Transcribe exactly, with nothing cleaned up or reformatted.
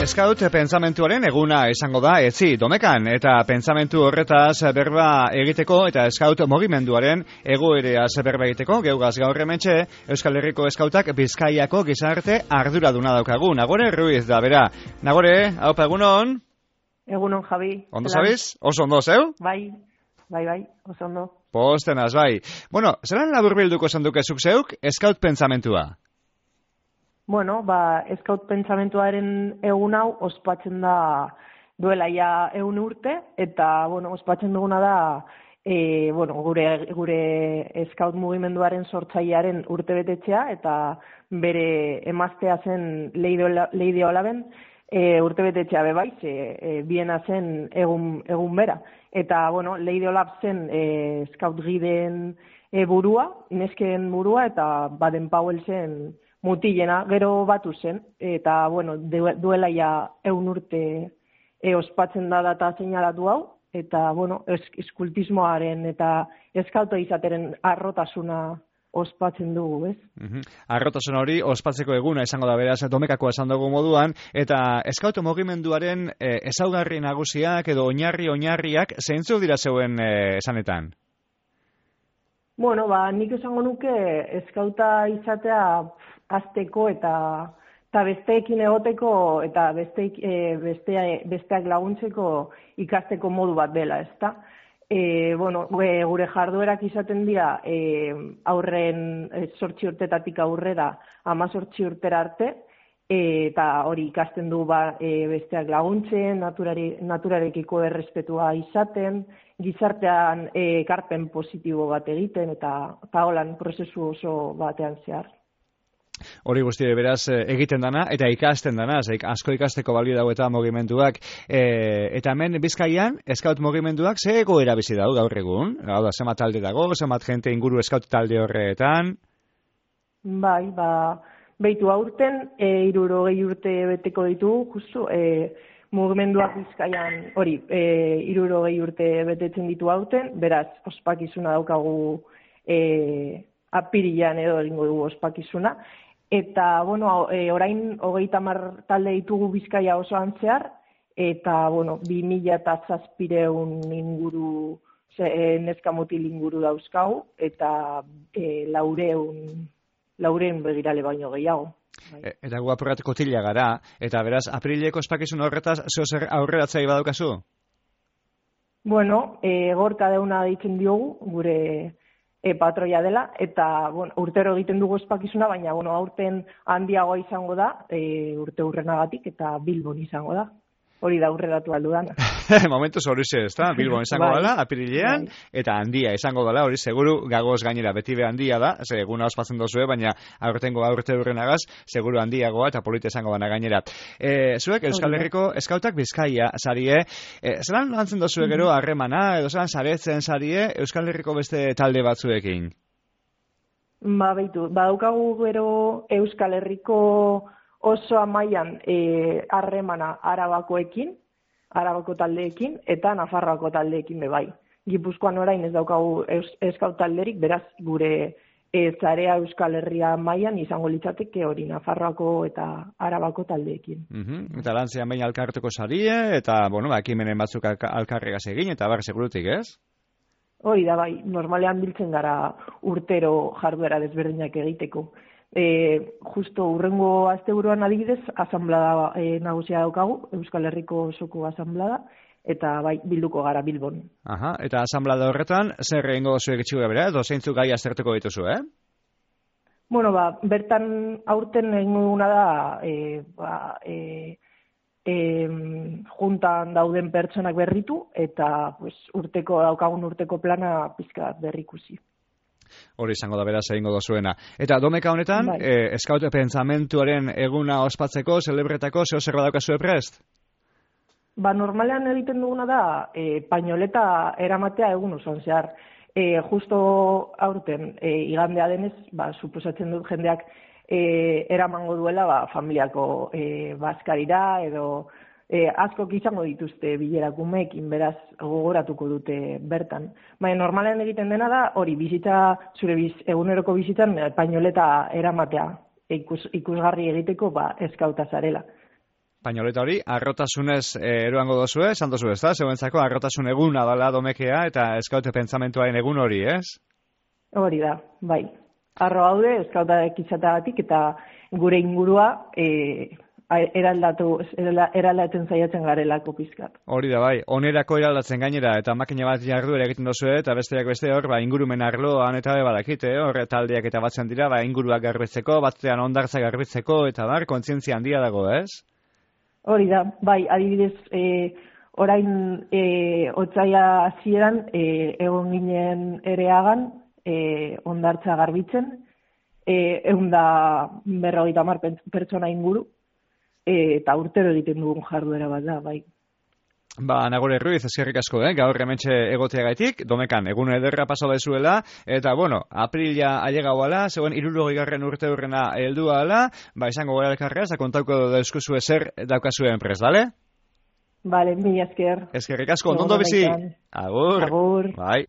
Eskaut pentsamentuaren eguna izango da etzi Domekan, eta pentsamentu horretaz berba egiteko eta eskaut mugimenduaren egoereaz berba egiteko geugaz gaur hementxe Euskal Herriko eskautak Bizkaiako gizarte arduraduna daukagu. Nagore Ruiz da bera. Nagore, haupa egunon? Egunon, Javi. Ondo zabiz? Oso ondo, zeu? Bai, bai, bai, oso ondo. Postenaz, bai. Bueno, zelan laburbilduko esan dukezuk zeuk eskaut pentsamentua? Bueno, ba, eskaut pentsamentuaren egun hau ospatzen da duela ja egun urte, eta, bueno, ospatzen duguna da e, bueno, gure, gure eskaut mugimenduaren sortzailearen urtebetetzea, eta bere emaztea zen Leide Olaben e, urtebetetzea bebai, ze e, biena zen egun, egun bera. Eta, bueno, Leide Olab zen e, eskaut giden e, burua, nesken burua, eta Baden Powell zen mutilena, gero batu zen, eta, bueno, duela ja egun urte e, ospatzen da data seinalatu hau, eta, bueno, eskultismoaren eta eskauto izateren arrotasuna ospatzen dugu, ez? Uh-huh. Arrotasun hori ospatzeko eguna izango da beraz Domekako esan dugu moduan, eta eskauto mugimenduaren e, ezaugarri nagusiak edo oinarri oinarriak zeintzuk dira zeuen e, esanetan? Bueno, ba, nik esango nuke eskauta izatea azteko eta eta besteekin egoteko eta besteik, e, bestea, besteak laguntzeko ikasteko modu bat dela, ezta? E, bueno, gure jarduerak izaten dira e, aurren zortzi urtetatik aurrera hamazortzi urtera arte, e, eta hori ikasten du ba, e, besteak laguntzen, naturari, naturarekiko errespetua izaten, gizartean e, ekarpen positibo bat egiten, eta, eta holan prozesu oso batean zehar. Hori guzti beraz egiten dana eta ikasten dana, asko ikasteko balio dago eta mugimenduak. E, eta hemen Bizkaian, eskaut mugimenduak ze egoera bizi dago gaur egun? Hau da, zenbat talde dago, zenbat jente inguru eskaut talde horretan? Bai, ba, behitu aurten, e, hirurogei urte beteko ditugu, justu, e, mugimenduak Bizkaian, hori, e, hirurogei urte betetzen ditu aurten, beraz, ospakizuna daukagu e, apirilan edo egingo dugu ospakizuna. Eta, bueno, e, orain hogeita hamar talde ditugu Bizkaia osoan zehar, eta, bueno, bi mila eta zazpireun inguru, ze, e, neska mutil inguru dauzkagu, eta e, laureun, laureun begirale baino gehiago. E, eta gu apurrat kotila gara, eta beraz, aprileko ospakizun horretaz, zeo zer aurreratzai badaukazu? Bueno, e, gorka deuna deitzen diogu, gure E, patroia dela, eta bueno, urtero egiten dugu ospakizuna, baina bueno, aurten handiagoa izango da, e, urte urrenagatik, eta Bilbon izango da. Hori da aurreratu aldudana. Momentu horixe, ez da? Bilbon izango bai, dela, apirilean, bai. Eta handia izango dela, hori seguru gagoz gainera, beti be handia da, ze eguna ospatzen dozue, baina aurtengo aurte urrenagaz, seguru handiagoa eta polita izango dana gainera. E, zuek, Euskal Herriko eskautak Bizkaia sarie, e, zelan lantzen dozue gero harremana, edo zelan saretzen sarie Euskal Herriko beste talde batzuekin? Ba, beitu, badaukagu gero Euskal Herriko oso amaian harremana e, Arabakoekin, Arabako taldeekin, eta Nafarroako taldeekin bebai. Gipuzkoan orain ez daukagu eskaut talderik, beraz gure e, zarea Euskal Herria mailan izango litzateke hori Nafarroako eta Arabako taldeekin. Uh-huh. Eta lantzean baina alkarteko sarie, eta, bueno, ekimenen batzuk alkarregaz egin, eta bar segurutik, ez? Hori da bai, normalean biltzen gara urtero jarduera desberdinak egiteko. E, justo urrengo asteburuan adibidez, asanblada e, nagusia daukagu, Euskal Herriko osoko asanblada, eta bai, bilduko gara Bilbon. Aha, eta asanblada horretan, zer egingo zuek itxuga bera, edo zeintzuk gai aztertuko dituzu, eh? Bueno, ba, bertan aurten egingo duguna da, e, ba, e, e, juntan dauden pertsonak berritu, eta pues, urteko daukagun urteko plana pizka berrikusi. Hori izango da beraz egingo dozuena. Eta Domeka honetan, bai. e, eskaut pentsamentuaren eguna ospatzeko, celebretako, zeo zer badaukazue prest? Ba, normalean egiten duguna da, e, painoleta eramatea egun osoan zehar. E, justo aurten, e, igandea denez, ba, suposatzen dut jendeak e, eramango duela ba, familiako e, bazkarira edo e, askok izango dituzte bilerakumeekin, beraz gogoratuko dute bertan. Baina normalean egiten dena da, hori bizitza, zure biz, eguneroko bizitzan, painoleta eramatea, ikus, ikusgarri egiteko, ba, eskauta zarela. Painoleta hori, arrotasunez e, eroango dozue, esan dozu ez da, zeuentzako arrotasun eguna dala domekea eta eskaute pentsamentuaren egun hori, ez? Hori da, bai. Arro haude, eskauta ekizatagatik eta gure ingurua e, eraldatu, eraldatzen zaiatzen garelako pizkat. Hori da, bai. Onerako eraldatzen gainera eta makina bat jarduera egiten dozue eta besteak beste hor, ba, ingurumen arloan eta badakite, hor taldeak eta batzen dira, ba, inguruak garbitzeko, batzean ondartza garbitzeko eta bar, kontzientzia handia dago, ez? Hori da, bai, adibidez, e, orain e, otsaia hasieran e, egon ginen ereagan e, ondartza garbitzen, e, egun da berrogeita hamar pertsona inguru, e, eta urtero egiten dugun jarduera bat da, bai. Ba, Nagore Ruiz, eskerrik asko, eh? Gaur hementxe egoteagaitik, domekan, egun ederra pasa daizuela, eta, bueno, aprila ailegauala, zegoen hirurogei garren urte hurrena heldua ala, ba, izango gara elkarrea, eta kontauko dauzkuzu ezer daukazuen prest, bale? Bale, mila esker. Eskerrik asko, ondo bizi. Agur. Agur. Bai.